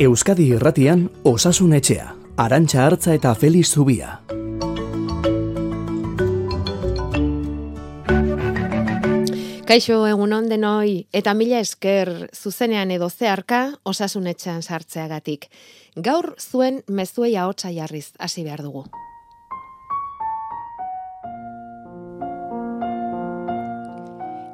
Euskadi Irratian Osasun Etxea, Arantxa Artza eta Felix Zubia. Kaixo, egunon denoi, eta mila esker zuzenean edo zeharka Osasun Etxean sartzeagatik. Gaur zuen mezuei ahotsa jarriz hasi behar dugu.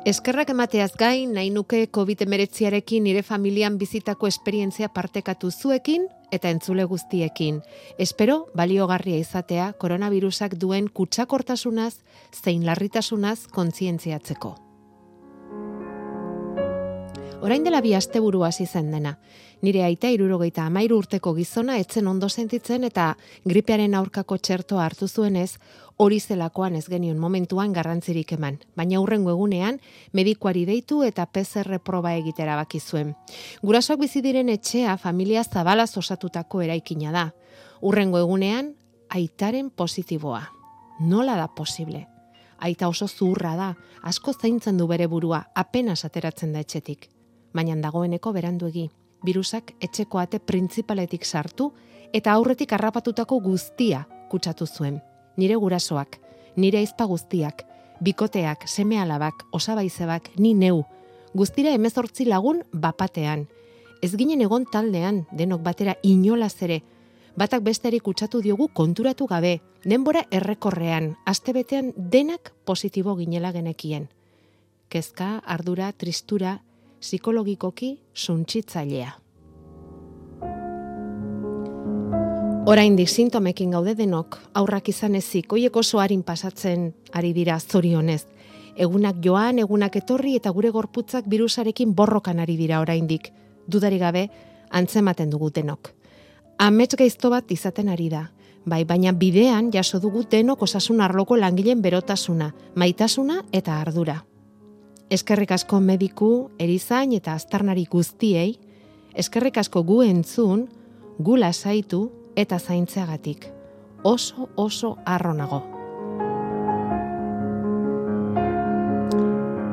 Eskerrak emateaz gain, nahi nuke COVID-19arekin nire familian bizitako esperientzia partekatu zuekin eta entzule guztiekin. Espero baliogarria izatea koronavirusak duen kutsakortasunaz zein larritasunaz kontzientziatzeko. Orain dela 2 asteburu hasi zen dena. Nire aita 73 urteko gizona etzen ondo sentitzen eta gripearen aurkako txertoa hartu zuenez, hori zelakoan ez genion momentuan garrantzirik eman. Baina hurrengo egunean, medikuari deitu eta PCR proba egitera baki zuen. Gurasoak bizi diren etxea familia zabalaz osatutako eraikina da. Hurrengo egunean, aitaren positiboa. Nola da posible? Aita oso zuhurra da, asko zaintzen du bere burua, apenas ateratzen da etxetik. Baina dagoeneko beranduegi. Birusak etxeko ate printzipaletik sartu eta aurretik harrapatutako guztia kutsatu zuen. Nire gurasoak, nire ahizpa guztiak, bikoteak, seme-alabak, osabaizebak, ni neu. Guztira 18 lagun bapatean. Ez ginen egon taldean, denok batera inolaz ere. Batak besteari kutsatu diogu konturatu gabe, denbora errekorrean, astebetean denak positibo ginela genekien. Kezka, ardura, tristura, psikologikoki suntsitzailea. Oraindik sintomekin gaude denok, aurrak izan ezik, oiek oso harin pasatzen ari dira zorionez. Egunak joan, egunak etorri eta gure gorputzak birusarekin borrokan ari dira oraindik. Dudarik gabe, antzematen dugu denok. Amets gaizto bat izaten ari da. Bai, baina bidean jaso dugu denok osasun arloko langileen berotasuna, maitasuna eta ardura. Eskerrik asko mediku, erizain eta aztarnari guztiei, eskerrik asko gu entzun, gu lasaitu eta zaintzeagatik. Oso harro nago.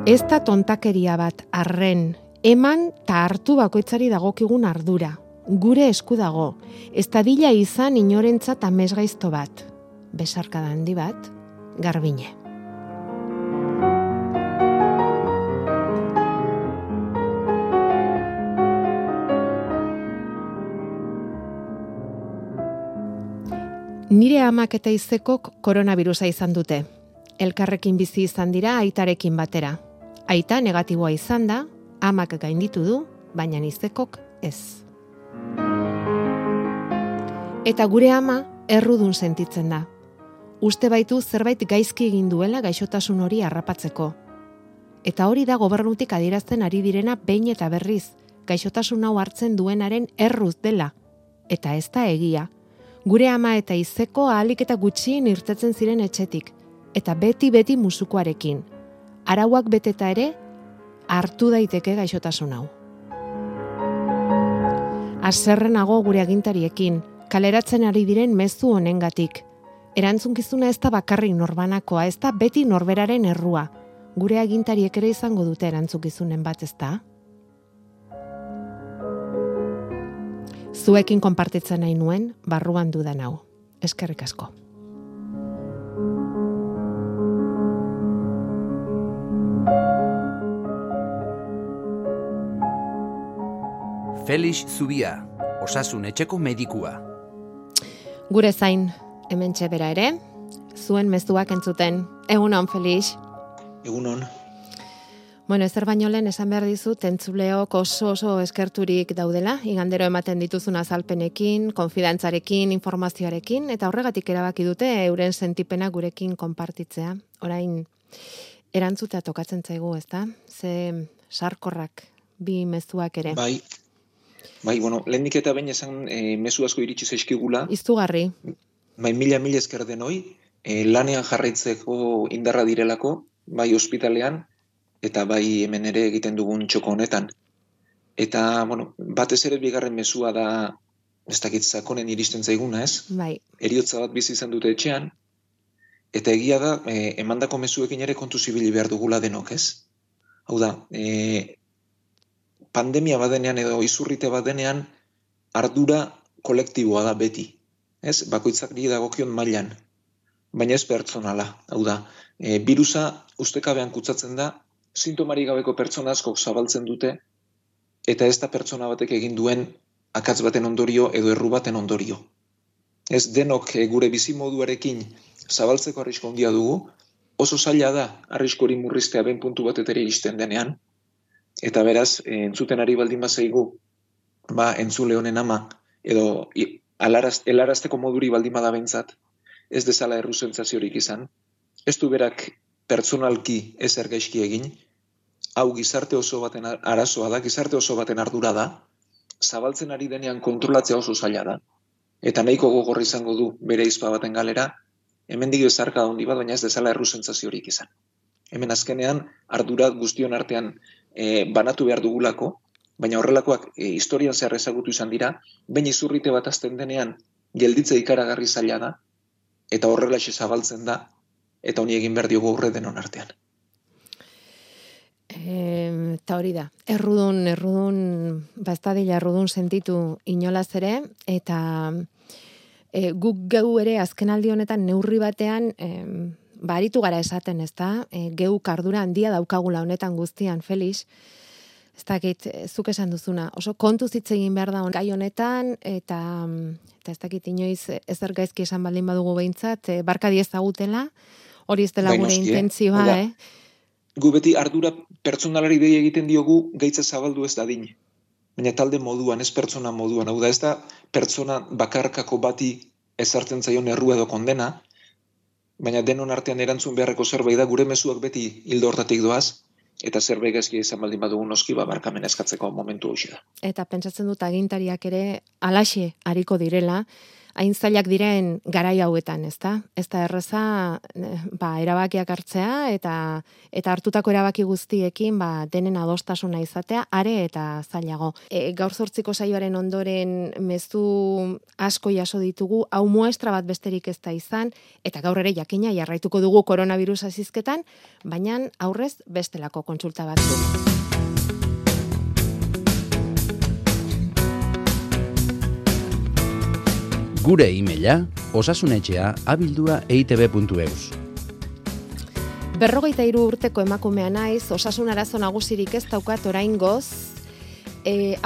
Ez da tontakeria bat arren, eman ta hartu bakoitzari dagokigun ardura. Gure esku dago, ez dadila izan inorentzat amesgaizto bat. Besarkada handi bat, Garbine. Nire amak eta izekok koronavirusa izan dute. Elkarrekin bizi izan dira aitarekin batera. Aita negatiboa izan da, amak gainditu du, baina izekok ez. Eta gure ama errudun sentitzen da. Uste baitu zerbait gaizki egin duela gaixotasun hori harrapatzeko. Eta hori da gobernutik adierazten ari direna behin eta berriz, gaixotasun hau hartzen duenaren erruz dela. Eta ez da egia. Gure ama eta izeko ahalik eta gutxien irtetzen ziren etxetik, eta beti musukoarekin. Arauak beteta ere, hartu daiteke gaixotasun hau. Haserrenago gure agintariekin, kaleratzen ari diren mezu honengatik. Erantzunkizuna ez da bakarrik norbanakoa, ez da beti norberaren errua. Gure agintariek ere izango dute erantzunkizunen bat, ez da? Zuekin konpartitzen nahi nuen, barruan dudan hau. Eskerrik asko. Felix Zubia, Osasun Etxeko medikua. Gure zain, hementxe bera ere, zuen mezuak entzuten. Egunon, Felix. Egunon. Bueno, ezer baino lehen esan behar dizut, entzuleok oso eskerturik daudela, igandero ematen dituzun azalpenekin, konfidantzarekin, informazioarekin, eta horregatik erabaki dute euren sentipena gurekin konpartitzea. Orain, erantzutea tokatzen zaigu, ezta? Ze sarkorrak, bi mezuak ere. Bai, bueno, lehendik eta behin esan mezu asko iritsi zaizkigula. Izugarri. Bai, mila esker denoi, lanean jarraitzeko indarra direlako, bai ospitalean, eta bai hemen ere egiten dugun txoko honetan. Eta, bueno, batez ere bigarren mezua da, ez dakit sakonen iristen zaiguna, ez? Bai. Heriotza bat bizi izan dute etxean, eta egia da, emandako mezuekin ere kontu zibili behar dugula denok, ez? Hau da, pandemia badenean edo izurrite badenean, ardura kolektiboa da beti. Ez, bakoitzak dagokion mailan, baina ez pertsonala. Hau da, birusa ustekabean kutsatzen da, sintomarik gabeko pertsona askok zabaltzen dute, eta ez da pertsona batek egin duen akats baten ondorio edo erru baten ondorio. Ez denok gure bizimoduarekin zabaltzeko arrisku handia dugu, oso zaila da arrisku hori murriztea ben puntu batetera iristen denean, eta beraz, entzuten ari baldin bazaigu, entzule honen ama, edo helarazteko moduri baldin bada bentzat, ez dezala erru sentsaziorik izan, ez du berak pertsonalki ezer gaizki egin, hau gizarte oso baten arazoa da, gizarte oso baten ardura da, zabaltzen ari denean kontrolatzea oso zaila da, eta nahiko gogorra izango du bere izpa baten galera, hemendik bezarka handi bat, baina ez dezala erru sentsaziorik izan. Hemen azkenean ardura guztion artean banatu behar dugulako, baina horrelakoak historian zehar ezagutu izan dira, behin izurrite bat azten denean gelditze ikaragarri zaila da, eta horrelaxe zabaltzen da, eta honi egin behar diogu aurre denon artean. Eta hori da, errudun, ez dadila errudun sentitu inolaz ere, eta guk geu ere azken aldi honetan neurri batean, aritu gara esaten, ez da, geuk ardura handia daukagula honetan guztian, Felix, ez dakit, zuk esan duzuna, oso kontuz hitz egin behar da gai honetan, eta ez dakit inoiz ezer gaizki esan baldin badugu behintzat, barka diezagutela, hori ez dela gure intentzioa, Gu beti ardura pertsonalari dei egiten diogu gaitza zabaldu ez dadin. Baina talde moduan, ez pertsona moduan. Hau da, ez da pertsona bakarkako bati ezartzen zaion errua edo kondena, baina denon artean erantzun beharreko zerbait da, gure mezuak beti hildo hortatik doaz, eta zerbait gaizki izan baldin badugu noski barkamena eskatzeko momentu hoxe da. Eta pentsatzen dut agintariak ere alaxe hariko direla, hain zailak diren garai hauetan, ez da? Ez da erreza erabakiak hartzea eta hartutako erabaki guztiekin denen adostasuna izatea, are eta zailago. Gaur 8 saioaren ondoren mezu asko jaso ditugu, hau muestra bat besterik ez da izan, eta gaur ere jakina jarraituko dugu koronavirusa zizketan, baina aurrez bestelako kontsulta batzuk. Gure e-maila osasunetxea@eitb.eus. 53 urteko emakumea naiz, osasun arazo nagusirik ez daukat oraingoz.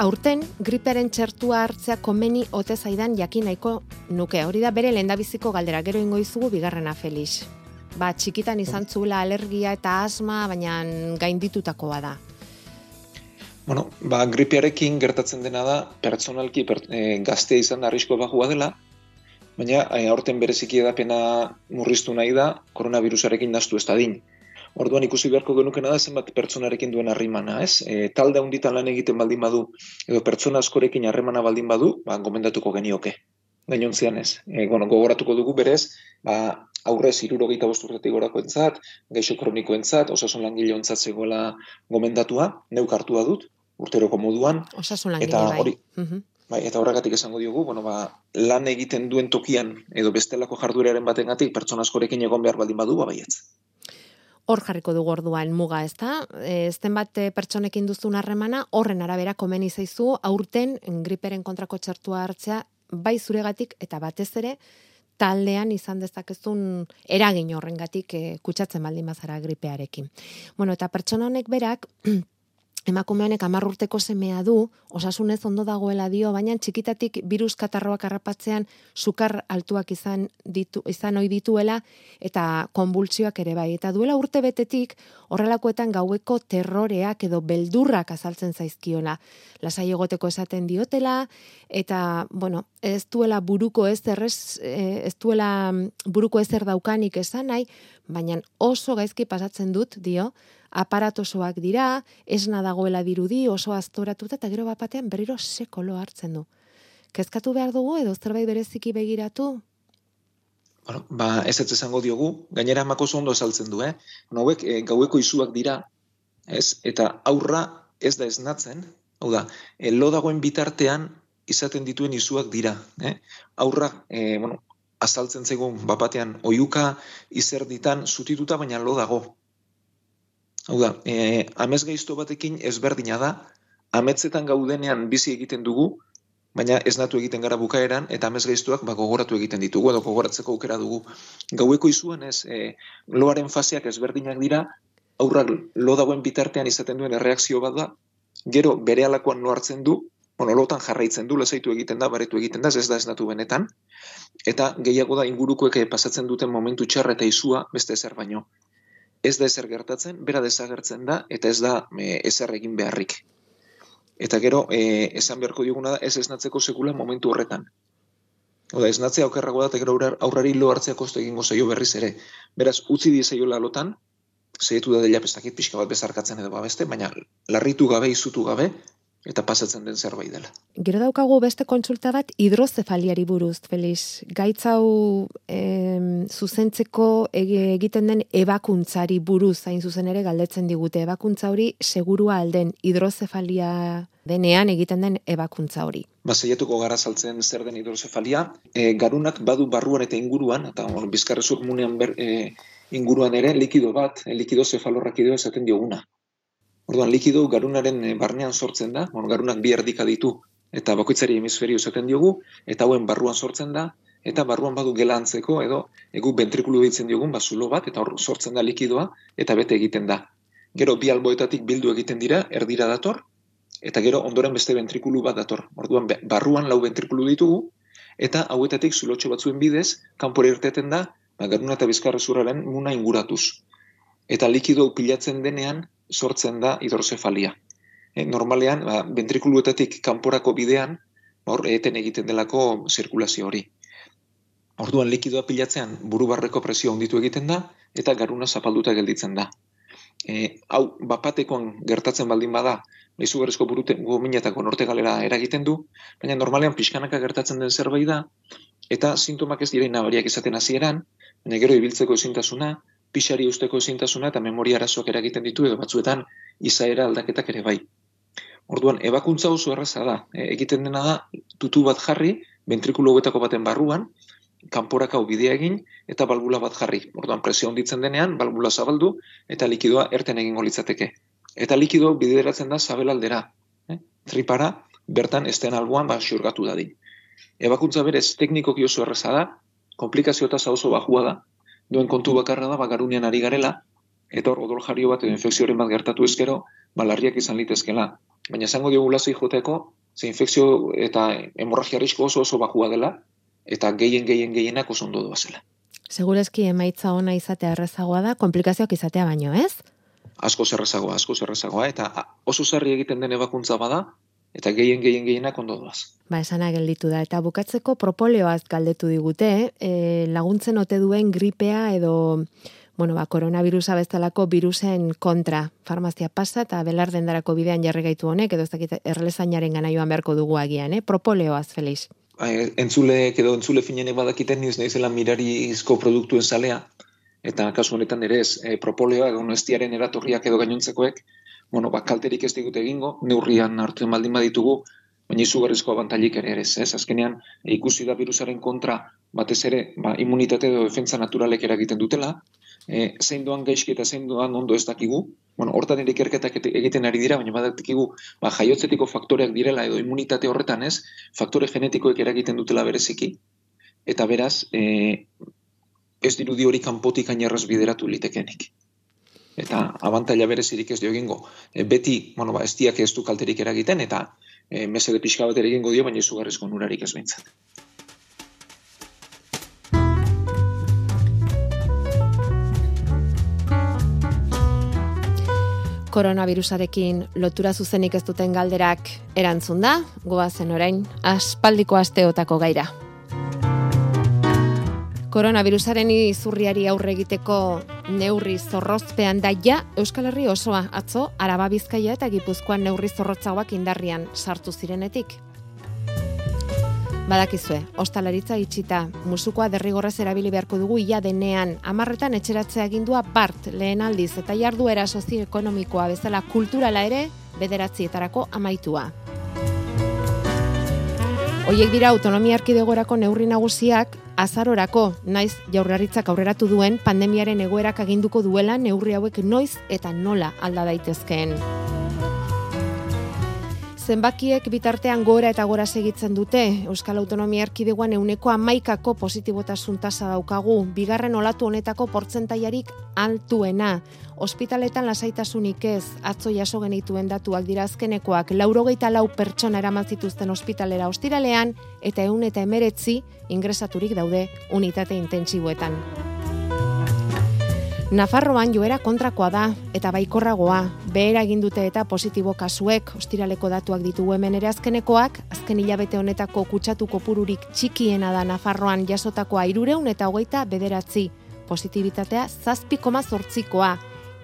Aurten gripearen txertua hartzea komeni ote zaidan jakin nahiko nuke. Hori da bere lehendabiziko galdera, gero ingo izugu bigarrena, Felix. Txikitan izan zuela alergia eta asma, baina gainditutakoa da. Gripearekin gertatzen dena da, pertsonalki gaztea izan arrisko bajua dela, baina aurten bereziki edapena murriztu nahi da, koronavirusarekin nahastu ez dadin. Orduan ikusi beharko genukena da zenbat pertsonarekin duen harrimana, ez? Talde handitan lan egiten baldin badu, edo pertsona askorekin harremana baldin badu, gomendatuko genioke. Gainontzean ez. Gogoratuko dugu berez, aurrez 65 urtetik gorakoentzat, gaixo kronikoentzat, osasun langileontzat zegoela gomendatua, neuk hartua dut, urteroko moduan. Osasun langile Eta horregatik esango diogu, lan egiten duen tokian, edo bestelako jardueraren batengatik, pertsona askorekin egon behar baldin badu, baietz. Hor jarriko dugu orduan muga, ez da? Zenbat pertsonekin duzun harremana, horren arabera komeni zaizu, aurten griperen kontrako txertua hartzea, bai zuregatik eta batez ere, taldean izan dezakezun eragin horrengatik kutsatzen baldin bazara gripearekin. Eta pertsona honek berak, emakume honek 10 urteko semea du, osasunez ondo dagoela dio, baina txikitatik birus katarroak harrapatzean sukar altuak izan ohi dituela eta konbultsioak ere bai. Eta duela urte betetik horrelakoetan gaueko terroreak edo beldurrak azaltzen zaizkiola. Lasai egoteko esaten diotela eta ez duela buruko ezer daukanik esan nahi, baina oso gaizki pasatzen dut dio. Aparatosoak dira, esna dagoela dirudi, oso aztoratuta eta gero batean berriro sekolo hartzen du. Kezkatu behar dugu edo zerbait bereziki begiratu? Ez esango diogu, gainera amako ondo esaltzen du, hauek gaueko izuak dira, eta aurra ez da esnatzen, hau da, lo dagoen bitartean izaten dituen izuak dira, aurra, azaltzen zegoen batean oihuka izerditan zutituta baina lo dago. Hau da, amez gaizto batekin ezberdina da, ametzetan gaudenean bizi egiten dugu, baina esnatu egiten gara bukaeran, eta amesgaiztuak gogoratu egiten ditugu, edo gogoratzeko aukera dugu. Gaueko izuan loaren faseak ezberdinak dira, aurrak lo dagoen bitartean izaten duen erreakzio bat da, gero berehalakoan lo hartzen du, lotan jarraitzen du, lasaitu egiten da, baretu egiten da, ez da esnatu benetan, eta gehiago da ingurukoek pasatzen duten momentu txarra eta izua beste ezer baino. Ez da ezer gertatzen, bera desagertzen da, eta ez da ezer egin beharrik. Eta gero, esan beharko dioguna da, ez esnatzeko sekula momentu horretan. Oda, esnatzea okerrago da, eta gero aurrari lo hartzea kostu egingo zaio berriz ere. Beraz, utzi dizaiola lotan, zehetu da dela pestakit pixka bat bezarkatzen edo babeste, baina larritu gabe, izutu gabe, eta pasatzen den zerbait dela. Gero daukagu beste kontsulta bat hidrozefaliari buruz, Felix. Gaitz hau zuzentzeko egiten den ebakuntzari buruz, hain zuzen ere galdetzen digute. Ebakuntza hori segurua alden hidrozefalia denean egiten den ebakuntza hori. Saiatuko gara saltzen zer den hidrozefalia. Garunak badu barruan eta inguruan, eta bizkarrezur munean inguruan ere, likido bat, likido zefalorrakidoa esaten dioguna. Orduan, likido garunaren barnean sortzen da, garunak bi erdika ditu, eta bakoitzari hemisferio esaten diogu, eta hauen barruan sortzen da, eta barruan badu gela antzeko, edo egu ventrikulu ditzen diogun, zulo bat, eta hor sortzen da likidoa, eta bete egiten da. Gero, bi alboetatik bildu egiten dira, erdira dator, eta gero ondoren beste ventrikulu bat dator. Orduan, barruan 4 ventrikulu ditugu, eta hauetatik zulotxo batzuen bidez, kanpora irteten da, garuna eta bizkarrezurraren muna inguratuz. Eta likido pilatzen denean, sortzen da hidrozefalia. Normalean, ventrikuluetatik kanporako bidean, hor eten egiten delako zirkulazio hori. Orduan likidoa pilatzean burubarreko presio handitu egiten da, eta garuna zapalduta gelditzen da. Hau, bapatekoan gertatzen baldin bada, izugarrizko gominetako norte galera eragiten du, baina normalean pixkanaka gertatzen den zerbait da, eta sintomak ez direin nabariak izaten hasieran, baina gero ibiltzeko ezintasuna, pixari usteko ezintasuna eta memoria arazoak eragiten ditu edo batzuetan izaera aldaketak ere bai. Orduan, ebakuntza oso erraza da. Egiten dena da, tutu bat jarri, ventrikulo hauetako baten barruan, kanporaka bidea egin eta balbula bat jarri. Orduan, presio handitzen denean, balbula zabaldu eta likidoa erten egingo litzateke. Eta likidoa bideratzen da sabelaldera. Tripara, bertan esten alboan xurgatu dadin. Ebakuntza berez, teknikoki oso erraza da, komplikazio eta oso bajua da, duen kontu bakarra da, garunean ari garela, eta hor odol jario bat edo infekzioaren bat gertatu ezkero, larriak izan litezkela. Baina esango diogu lasai joteko, ze infekzio eta hemorragia risko oso bajua dela, eta gehienak oso ondo doazela. Segurezki emaitza ona izatea errazagoa da, komplikazioak izatea baino, ez? Asko zerrazagoa, eta oso sarri egiten den ebakuntza bada, eta gehienak ondo doaz. Esana gelditu da. Eta bukatzeko propoleoaz galdetu digute, laguntzen ote duen gripea edo, koronavirusa bezalako virusen kontra. Farmazia pasa eta belardendarako bidean jarri gaitu honek, edo ez dakit erlezainaren gana joan beharko dugu agian, Propoleoaz, Felix. Entzule finenek badakiten naizela mirarizko produktuen zalea, eta kasu honetan ere ez, propoleoa, gonestiaren eratorriak edo gainontzekoek, kalterik ez digute egingo, neurrian hartzen baldin baditugu, baina izugarrizko abantailik ere ez. Azkenean, ikusi da virusaren kontra, batez ere, immunitate edo defentsa naturalek eragiten dutela, zein doan gaizki eta zein doan ondo ez dakigu, hortan ere ikerketak egiten ari dira, baina badakigu, jaiotzetiko faktoreak direla edo immunitate horretan ez, faktore genetikoek eragiten dutela bereziki, eta beraz, ez dirudi hori kanpotik ainerraz bideratu litekenik. Eta abantaila berezirik ez dio egingo. Beti, ez diak ez du kalterik eragiten, eta mesede pixka bat ere egingo dio, baina izugarrizko onurarik ez behintzat. Koronavirusarekin lotura zuzenik ez duten galderak erantzun da, goazen orain, aspaldiko asteotako gaira. Koronavirusaren izurriari aurre egiteko neurri zorrozpean daia Euskal Herri osoa atzo Araba, Bizkaia eta Gipuzkoan neurri zorrotzagoak indarrian sartu zirenetik. Badakizue, ostalaritza itxita, musukoa derrigorrez erabili beharko dugu ia denean, 10 etxeratzea agindua bart lehen aldiz eta jarduera sozioekonomikoa bezala kulturala ere 9etarako amaitua. Hoiek dira autonomia erkidegorako neurri nagusiak azarorako, naiz Jaurlaritzak aurreratu duen pandemiaren egoerak aginduko duela neurri hauek noiz eta nola alda daitezkeen. Zenbakiek bitartean gora eta gora segitzen dute. Euskal Autonomia Erkidegoan 11% positibotasun tasa daukagu, bigarren olatu honetako portzentaiarik altuena. Ospitaletan lasaitasunik ez, atzo jaso genituen datuak dira azkenekoak, 84 pertsona eraman zituzten ospitalera ostiralean, eta 119 ingresaturik daude unitate intentsiboetan. Nafarroan joera kontrakoa da, eta baikorragoa, behera egin dute eta positibo kasuek, ostiraleko datuak ditugu hemen ere azkenekoak, azken hilabete honetako kutsatu kopururik txikiena da Nafarroan jasotakoa 329, positibitatea 7,8koa,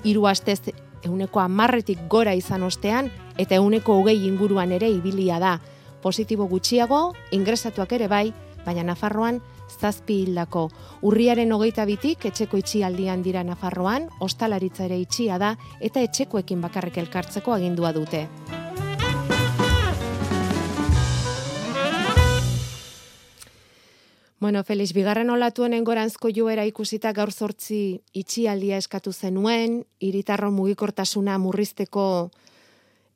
3 astez 10%tik gora izan ostean, eta 20 inguruan ere ibilia da. Positibo gutxiago, ingresatuak ere bai, baina Nafarroan 7 hildako. Urriaren 22tik etxeko itxialdian dira Nafarroan, ostalaritza ere itxia da, eta etxekoekin bakarrik elkartzeko agindua dute. Bueno, Felix, bigarren olatuen engoranzko joera ikusita gaur 8 itxialdia eskatu zenuen, hiritarron mugikortasuna murrizteko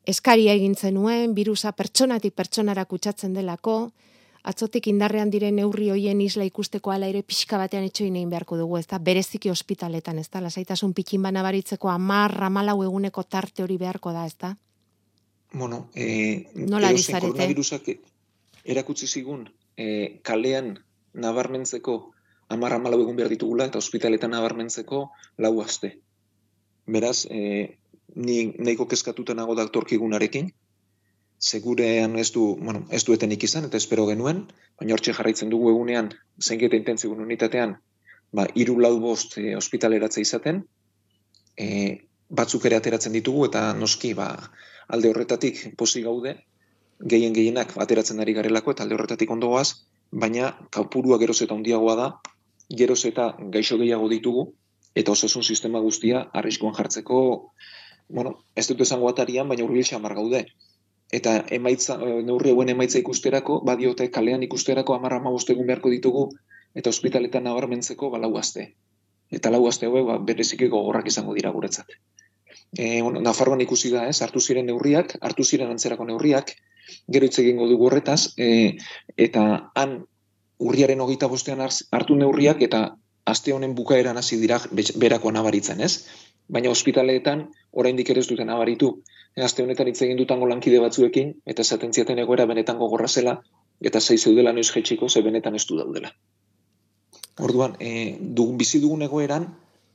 eskaria egin zenuen, birusa pertsonatik pertsonara kutsatzen delako, atzotik indarrean diren neurri hoien isla ikusteko ala ere pixka batean etxoin egin beharko dugu, ez da, bereziki ospitaletan, ez da, lasaitasun pikin bana baritzeko 10-14 eguneko tarte hori beharko da, ez da? Bueno, nola ari zarete? Koronavirusak erakutsi zigun kalean nabarmentzeko 10-14 egun behar ditugula, eta ospitaletan nabarmentzeko 4 aste. Beraz, ni nahiko kezkatuta nago daktorkigunarekin, segurean ez du etenik izan, eta espero genuen, baina hortxe jarraitzen dugu egunean, zainketa intentsiboen unitatean, 3-4 ospitaleratze izaten, batzuk ere ateratzen ditugu, eta noski alde horretatik pozik gaude, gehienak ateratzen ari garelako, eta alde horretatik ondo goaz, baina kopurua geroz eta handiagoa da, geroz eta gaixo gehiago ditugu, eta osasun sistema guztia arriskuan jartzeko, ez dut esango atarian, baina hurbil xamar gaude. Eta neurri hauen emaitza ikusterako, badiote kalean ikusterako 10-15 egun beharko ditugu, eta ospitaletan nabarmentzeko 4 aste. Eta 4 aste hauek bereziki gogorrak izango dira guretzat. Nafarroan ikusi da, hartu ziren antzerako neurriak, gero hitz egingo dugu horretaz, eta han urriaren 25ean hartu neurriak, eta aste honen bukaeran hasi dira berakoa nabaritzen, ez? Baina ospitaleetan oraindik ere ez duten nabaritu. Aste honetan hitz egin dutango lankide batzuekin, eta esaten ziaten egoera benetan gogorra zela, eta zai zeudela noiz jetxiko, ze benetan ez du daudela. Orduan, bizi dugun egoeran,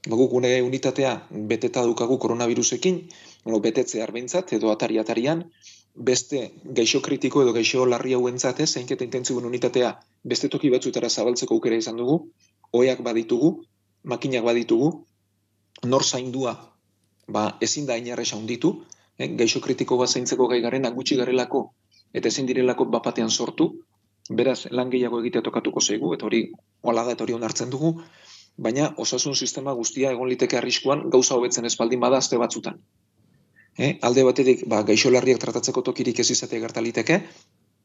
guk gune unitatea beteta dukagu koronavirusekin, betetze behintzat edo atarian, beste gaixo kritiko edo gaixo larri hauentzat zainketa intentsiboen unitatea beste toki batzutara zabaltzeko aukera izan dugu, oheak baditugu, makinak baditugu, nor zaindua ezin da inarresa handitu, gaixo kritiko bat zaintzeko gai garena gutxi garelako eta ezin direlako bapatean sortu, beraz lan gehiago egitea tokatuko zaigu, eta hori hola da eta hori onartzen dugu, baina osasun sistema guztia egon liteke arriskuan gauza hobetzen ez baldin bada aste batzutan. Alde batetik gaixo larriak tratatzeko tokirik ez izatea gertaliteke,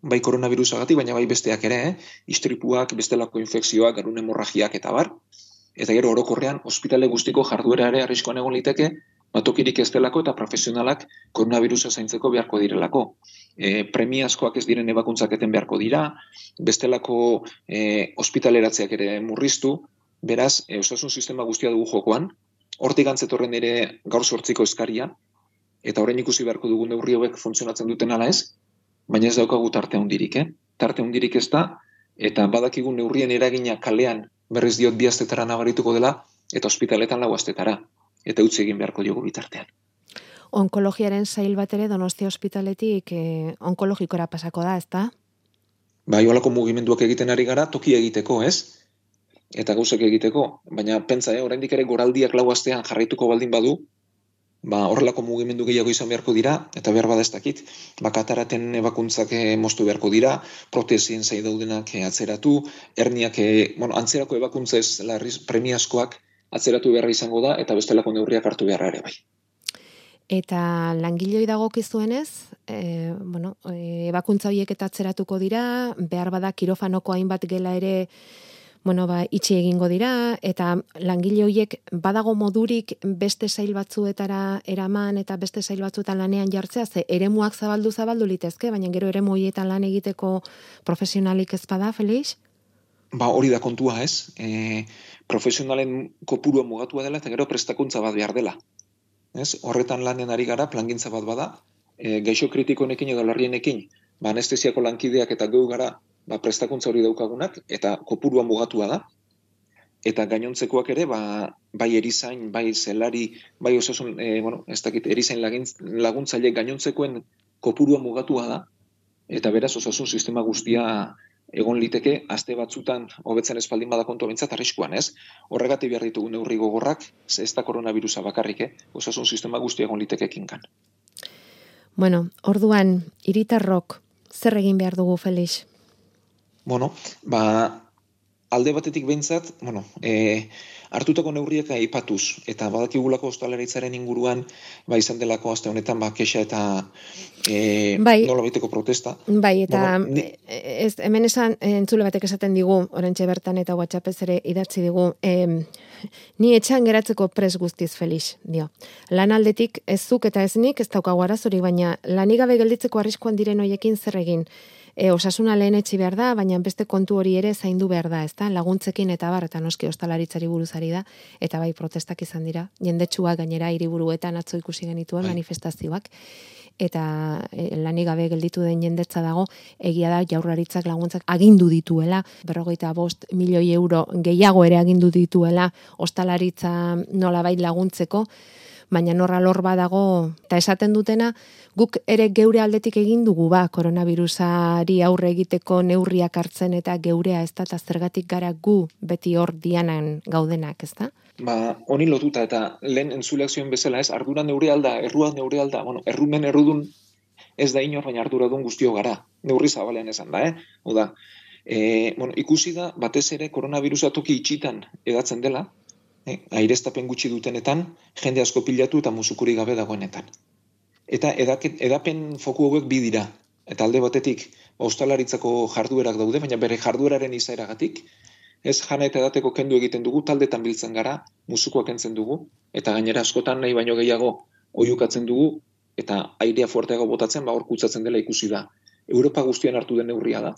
bai koronavirusagatik, baina bai besteak ere, istripuak, bestelako infekzioak, garun hemorragiak eta bar, eta gero orokorrean ospitale guztiko jarduera ere arriskuan egon liteke, tokirik ez delako eta profesionalak koronavirusa zaintzeko beharko direlako. Premiazkoak ez diren ebakuntzak eten beharko dira, bestelako ospitaleratzeak ere murriztu, beraz, osasun sistema guztia dugu jokoan, hortik antzetorren ere gaur 8ko eskaria, eta orain ikusi beharko dugu neurri hauek funtzionatzen duten ala ez, baina ez daukagu tarte handirik, Tarte handirik ez da, eta badakigu neurrien eragina kalean berriz diot 2 astetara nabarituko dela, eta ospitaletan 4 astetara. Eta utzi egin beharko diogu bitartean. Onkologiaren sail bat ere Donostia ospitaletik onkologikora pasako da, ezta? Holako mugimenduak egiten ari gara, toki egiteko, ez? Eta gauzak egiteko, baina pentsa, oraindik ere goraldiak 4 astean jarraituko baldin badu, horrelako mugimendu gehiago izan beharko dira, eta behar bada ez dakit, kataraten ebakuntzak moztu beharko dira, protesien zai daudenak atzeratu, herniak, antzerako ebakuntzez premiazkoak atzeratu beharra izango da, eta bestelako neurriak hartu beharra ere bai. Eta langiloi dagokizuenez, ebakuntza horiek eta atzeratuko dira, behar bada kirofanoko hainbat gela ere itxi egingo dira, eta langile horiek badago modurik beste sail batzuetara eraman eta beste sail batzuetan lanean jartzea, ze eremuak zabaldu litezke, baina gero eremu horietan lan egiteko profesionalik ez bada, Felix? Hori da kontua, ez? Profesionalen kopurua mugatua dela eta gero prestakuntza bat behar dela. Ez? Horretan lanen ari gara, plangintza bat bada, gaixo kritikoenekin edo larrienekin, anestesiako lankideak eta geu gara prestakuntza hori daukagunak, eta kopurua mugatua da. Eta gainontzekoak ere, bai erizain, bai zelari, bai osasun, erizain laguntzaile gainontzekoen kopurua mugatua da, eta beraz osasun sistema guztia egon liteke, aste batzutan hobetzen espaldin bada kontu bintzat arriskuan, ez? Horregatik behar ditugu neurri gogorrak, ez da koronavirusa bakarrik, osasun sistema guztia egon liteke kinkan. Orduan, hiritarrok zer egin behar dugu, Felix? Alde batetik behintzat, hartutako neurriak aipatuz, eta badakigulako ostalaritzaren inguruan, izan delako aste honetan, kexa eta nola baiteko protesta. Eta hemen esan, entzule batek esaten digu, orentxe bertan eta WhatsAppez ere idatzi digu, ni etxean geratzeko pres guztiz, Felix, dio. Lan aldetik ez zuk eta ez nik, ez daukagu arazorik, baina lanik gabe gelditzeko arriskuan diren hoiekin zer egin. Osasuna lehen etxi behar da, baina beste kontu hori ere zaindu behar da, ezta? Laguntzekin eta eta noski ostalaritzari buruzari da, eta bai protestak izan dira, jendetsuak gainera hiriburuetan atzo ikusi genituen manifestazioak, eta lanik gabe gelditu den jendetza dago, egia da jaurlaritzak laguntzak agindu dituela, 45 milioi euro gehiago ere agindu dituela ostalaritza nolabait laguntzeko, baina norra lor badago, eta esaten dutena, guk ere geure aldetik egin dugu koronavirusari aurre egiteko neurriak hartzen eta geurea ez da, eta zergatik gara gu beti hor dianan gaudenak, ez da? Honi lotuta, eta lehen entzuleak zioen bezala, ez, ardura neure alda, errua neure alda, errumen errudun ez da inor, baina arduradun guztio gara, neurri zabalean esan da, Oda, ikusi da, batez ere koronavirusa toki itxitan edatzen dela, aireztapen gutxi dutenetan, jende asko pilatu eta musukuri gabe dagoenetan. Eta edapen foku hauek bi dira. Eta alde batetik, ostalaritzako jarduerak daude, baina bere jardueraren izaeragatik, ez jana eta edateko kendu egiten dugu, taldetan biltzen gara, musukoak kentzen dugu, eta gainera askotan nahi baino gehiago oihukatzen dugu, eta airea fuerteago botatzen, hor kutsatzen dela ikusi da. Europa guztian hartu den neurria da.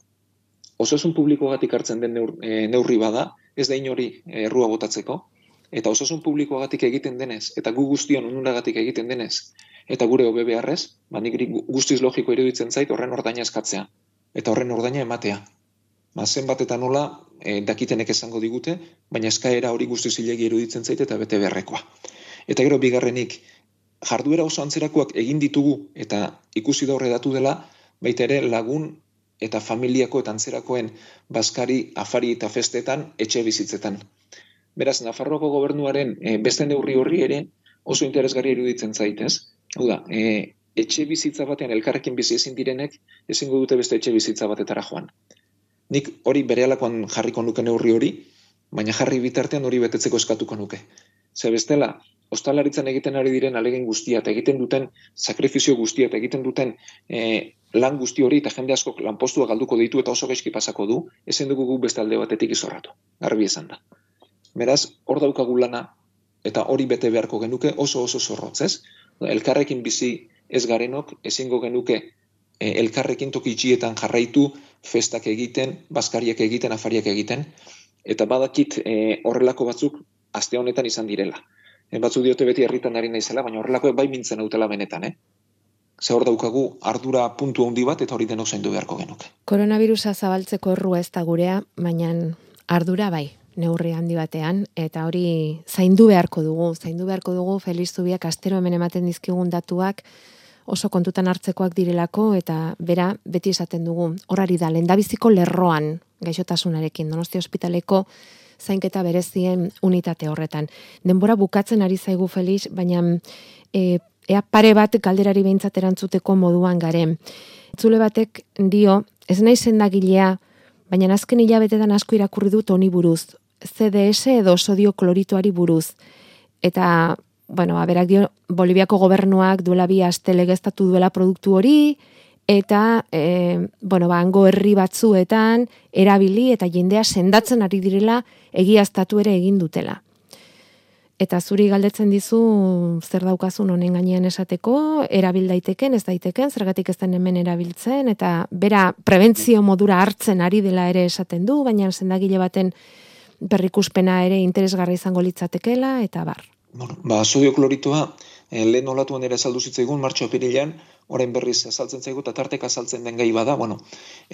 Osasun publikoagatik hartzen den neurri bada, ez da inori errua botatzeko, eta osasun publikoagatik egiten denez, eta gu guztion onuragatik egiten denez, eta gure hobe beharrez, nik guztiz logiko iruditzen zait horren ordaina eskatzea, eta horren ordaina ematea. Zenbat eta nola dakitenek esango digute, baina eskaera hori guztiz zilegi iruditzen zait eta bete beharrekoa. Eta gero bigarrenik, jarduera oso antzerakoak egin ditugu, eta ikusi da horredatu dela, baita ere lagun eta familiako eta antzerakoen bazkari, afari eta festetan, etxe bizitzetan. Beraz, Nafarroako gobernuaren beste neurri horri ere oso interesgarri iruditzen zaitez. Hau da, etxe bizitza batean elkarrekin bizi ezin direnek ezingo dute beste etxe bizitza batetara joan. Nik hori berehalakoan jarriko nuke neurri hori, baina jarri bitartean hori betetzeko eskatuko nuke. Ze bestela, ostalaritzan egiten ari diren alegin guztia, eta egiten duten sakrifizio guztia, eta egiten duten lan guzti hori, eta jende asko lanpostua galduko ditu eta oso gaizki pasako du, ezin dugu guk beste alde batetik izorratu. Garbi esan da. Beraz, hor daukagu lana, eta hori bete beharko genuke oso zorrotz, ez? Elkarrekin bizi ez garenok, ezingo genuke elkarrekin toki itxietan jarraitu, festak egiten, bazkariak egiten, afariak egiten, eta badakit horrelako batzuk aste honetan izan direla. Batzu diote beti herritan ari naizela, baina horrelako bai mintzen hautela benetan, Ze hor daukagu ardura puntu handi bat, eta hori denok zaindu beharko genuke. Koronavirusa zabaltzeko errua ez da gurea, baina ardura bai. Neurri handi batean, eta hori zaindu beharko dugu, Felix Zubiak astero hemen ematen dizkigun datuak oso kontutan hartzekoak direlako, eta bera beti esaten dugu, horari da, lehendabiziko lerroan gaixotasunarekin, Donostia ospitaleko zainketa berezien unitate horretan. Denbora bukatzen ari zaigu, Felix, baina ea pare bat galderari behintzat erantzuteko moduan garen. Zule batek dio, ez nahi sendagilea, baina azken hilabetetan asko irakurri dut honi buruz, CDS edo sodio kloritoari buruz. Eta, berak dio, Boliviako gobernuak duela 2 aste legeztatu duela produktu hori, eta hango herri batzuetan erabili eta jendea sendatzen ari direla egiaztatu ere egin dutela. Eta zuri galdetzen dizu zer daukazun honen gainean esateko, erabil daiteken, ez daiteken, zergatik ez den hemen erabiltzen, eta bera prebentzio modura hartzen ari dela ere esaten du, baina sendagile baten berrikuspena ere interesgarri izango litzatekela, eta bar. Sodio kloritoa, lehen olatuan ere azaldu zitzaigun, martxo-apirilean, orain berriz azaltzen zaigu, eta tarteka azaltzen den gai bada,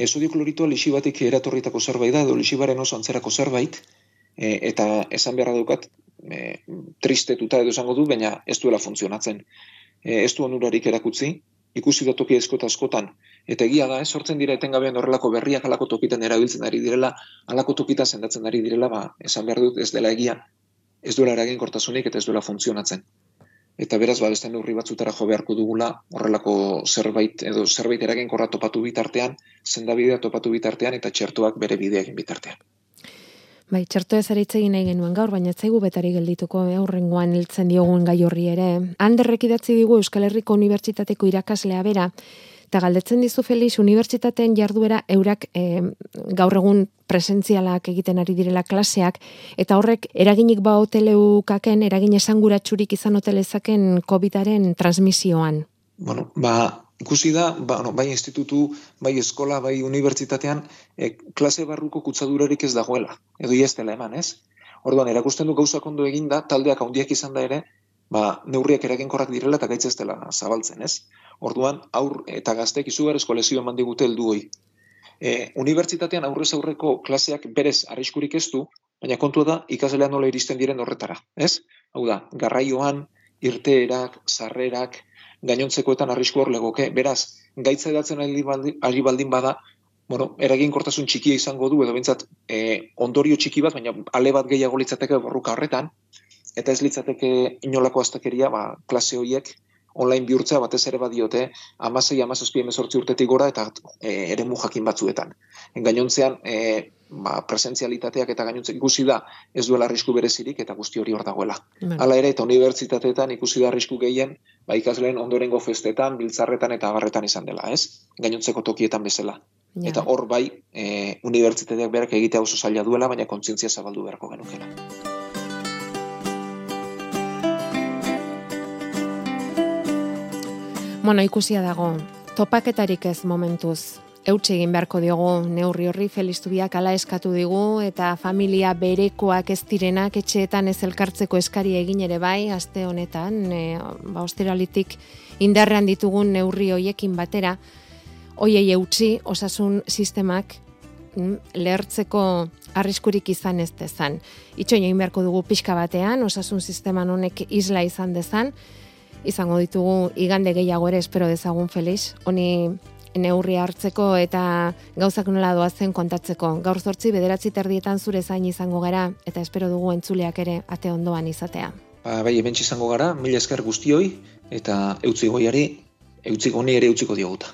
sodio kloritoa lixibatik eratorritako zerbait da, edo lixibaren oso antzerako zerbait, eta esan beharra daukat, tristetuta edo esango du, baina ez duela funtzionatzen. Ez du onurarik erakutzi, ikusi da toki askotan, eta egia da, sortzen dira etengabean horrelako berriak halako tokitan erabiltzen ari direla, halako tokitan sendatzen ari direla, esan behar dut ez dela egia, ez duela eraginkortasunik eta ez duela funtzionatzen. Eta beraz, beste neurri batzutara jo beharko dugula, horrelako zerbait eraginkorra topatu bitartean, sendabidea topatu bitartean, eta txertoak bere bidea egin bitartean. Bai, txerto ez ere itzegin nahi genuen gaur, baina ez zaigu betari geldituko, aurrengoan hiltzen diogun gai horri ere. Anderrek idatzi digu Euskal Herriko Unibertsitateko irakaslea bera, eta galdetzen dizu Felix, unibertsitateen jarduera eurak gaur egun presentzialak egiten ari direla klaseak, eta horrek eraginik hoteleukaken, eragin esanguratsurik izan hotelezaken COVID-aren transmisioan. Ikusi da, bai institutu, bai eskola, bai unibertsitatean, klase barruko kutsadurarik ez dagoela, edo ez dela eman, ez? Orduan, erakusten du gauzak ondo eginda, taldeak handiak izan da ere, neurriak eraginkorrak direla eta gaitz ez dela zabaltzen, ez? Orduan, aur eta gaztek izugarrizko lesio eman digute heldu hoi. Unibertsitatean aurrez aurreko klaseak berez arriskurik ez du, baina kontua da ikaslean nola iristen diren horretara, ez? Hau da, garraioan, irteerak, sarrerak, gainontzekoetan arrisku hor legoke. Beraz, gaitza edatzen ari baldin bada, eraginkortasun txikia izango du, edo bintzat ondorio txiki bat, baina ale bat gehiago litzateke borruka horretan, eta ez litzateke inolako astakeria, klase horiek online bihurtzea batez ere badiote 16-17 urtetik gora eta eremu jakin batzuetan. Gainontzean, presentzialitateak eta gainontzek ikusi da ez duela arrisku berezirik eta guzti hori hor dagoela. Hala ere, eta unibertsitateetan ikusi da arrisku gehien, ikasleen ondorengo festetan, biltzarretan eta abarretan izan dela, ez? Gainontzeko tokietan bezala. Eta hor bai, unibertsitateak berak egitea oso zaila duela, baina kontzientzia zabaldu beharko genukela. Ikusia dago, topaketarik ez momentuz. Eutxe egin beharko diogu neurri horri, Felix Zubiak hala eskatu digu, eta familia berekoak ez direnak etxeetan ez elkartzeko eskari egin ere bai, aste honetan, osteralitik indarrean ditugun neurri hoiekin batera, hoiei eutxi osasun sistemak lehertzeko arriskurik izan ez dezan. Itxoin egin beharko dugu pixka batean, osasun sisteman honek isla izan dezan, izango ditugu igande gehiago ere espero dezagun Felix, honi neurri hartzeko eta gauzak nola doazen kontatzeko. Gaur 8:09 zure zain izango gara eta espero dugu entzuleak ere ate ondoan izatea. Bai, hementsi izango gara, mila esker guztioi eta eutzi goiari, eutzi goni ere eutziko dioguta.